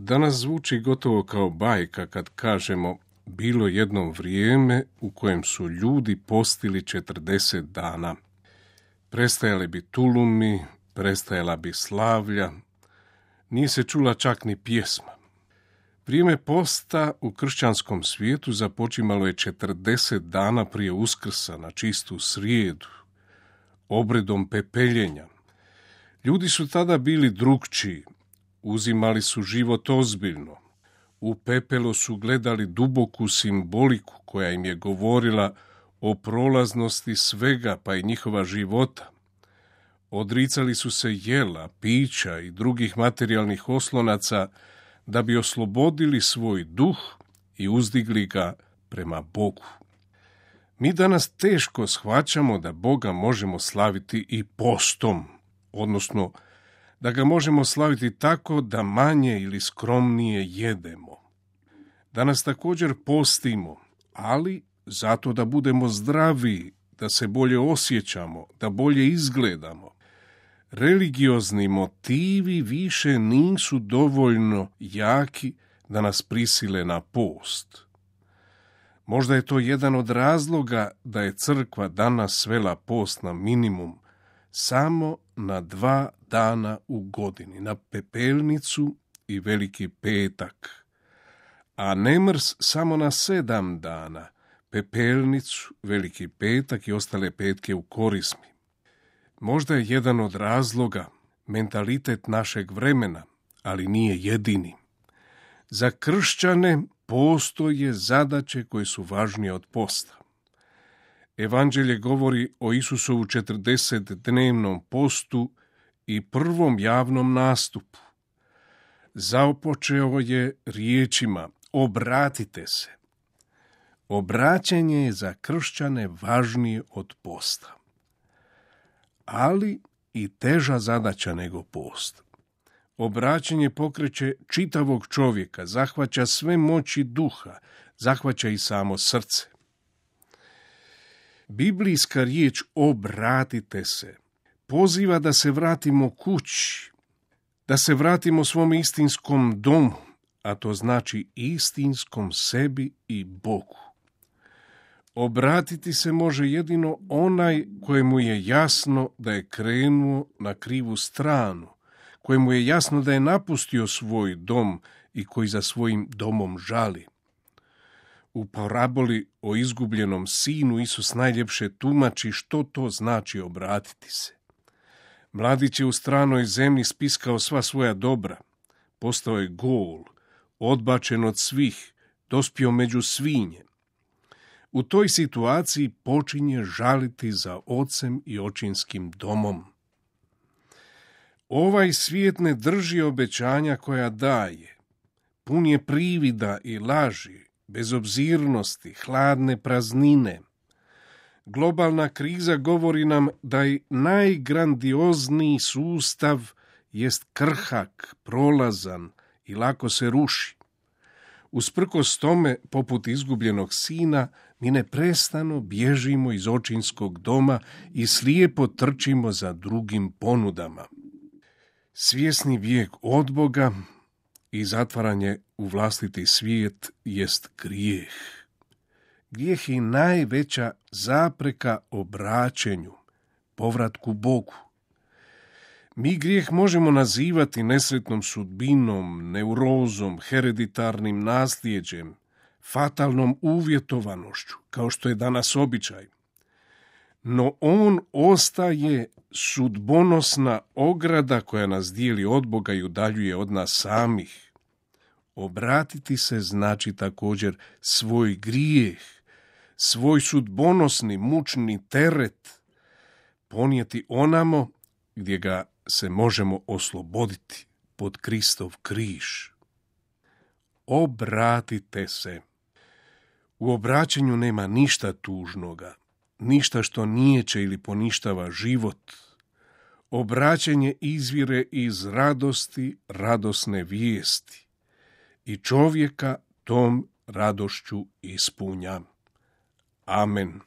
Danas zvuči gotovo kao bajka kad kažemo bilo jedno vrijeme u kojem su ljudi postili 40 dana. Prestajali bi tulumi, prestajala bi slavlja, nije se čula čak ni pjesma. Vrijeme posta u kršćanskom svijetu započimalo je 40 dana prije Uskrsa na čistu srijedu, obredom pepeljenja. Ljudi su tada bili drukčiji, uzimali su život ozbiljno. U pepelo su gledali duboku simboliku koja im je govorila o prolaznosti svega pa i njihova života. Odricali su se jela, pića i drugih materijalnih oslonaca da bi oslobodili svoj duh i uzdigli ga prema Bogu. Mi danas teško shvaćamo da Boga možemo slaviti i postom, odnosno da ga možemo slaviti tako da manje ili skromnije jedemo. Danas također postimo, ali zato da budemo zdraviji, da se bolje osjećamo, da bolje izgledamo. Religiozni motivi više nisu dovoljno jaki da nas prisile na post. Možda je to jedan od razloga da je crkva danas svela post na minimum, samo na 2 dana u godini, na Pepelnicu i Veliki petak, a Nemrs samo na 7 dana, Pepelnicu, Veliki petak i ostale petke u Korizmi. Možda je jedan od razloga mentalitet našeg vremena, ali nije jedini. Za kršćane postoje zadaće koje su važnije od posta. Evanđelje govori o Isusovu 40-dnevnom postu i prvom javnom nastupu. Započeo je riječima: obratite se. Obraćanje je za kršćane važnije od posta, ali i teža zadaća nego post. Obraćanje pokreće čitavog čovjeka, zahvaća sve moći duha, zahvaća i samo srce. Biblijska riječ obratite se poziva da se vratimo kući, da se vratimo svom istinskom domu, a to znači istinskom sebi i Bogu. Obratiti se može jedino onaj kojemu je jasno da je krenuo na krivu stranu, kojemu je jasno da je napustio svoj dom i koji za svojim domom žali. U paraboli o izgubljenom sinu Isus najljepše tumači što to znači obratiti se. Mladić je u stranoj zemlji spiskao sva svoja dobra, postao je gol, odbačen od svih, dospio među svinje. U toj situaciji počinje žaliti za ocem i očinskim domom. Ovaj svijet ne drži obećanja koja daje. Pun je privida i laži, bezobzirnosti, hladne praznine. Globalna kriza govori nam da i najgrandiozniji sustav jest krhak, prolazan i lako se ruši. Usprkos tome, poput izgubljenog sina, mi neprestano bježimo iz očinskog doma i slijepo trčimo za drugim ponudama. Svjesni bijeg od Boga i zatvaranje u vlastiti svijet jest grijeh. Grijeh je najveća zapreka obraćenju, povratku Bogu. Mi grijeh možemo nazivati nesretnom sudbinom, neurozom, hereditarnim nasljeđem, fatalnom uvjetovanošću, kao što je danas običaj. No on ostaje sudbonosna ograda koja nas dijeli od Boga i udaljuje od nas samih. Obratiti se znači također svoj grijeh, svoj sudbonosni, mučni teret ponijeti onamo gdje ga se možemo osloboditi, pod Kristov križ. Obratite se. U obraćanju nema ništa tužnoga, ništa što niječe ili poništava život. Obraćanje izvire iz radosti, radosne vijesti i čovjeka tom radošću ispunja. Amen.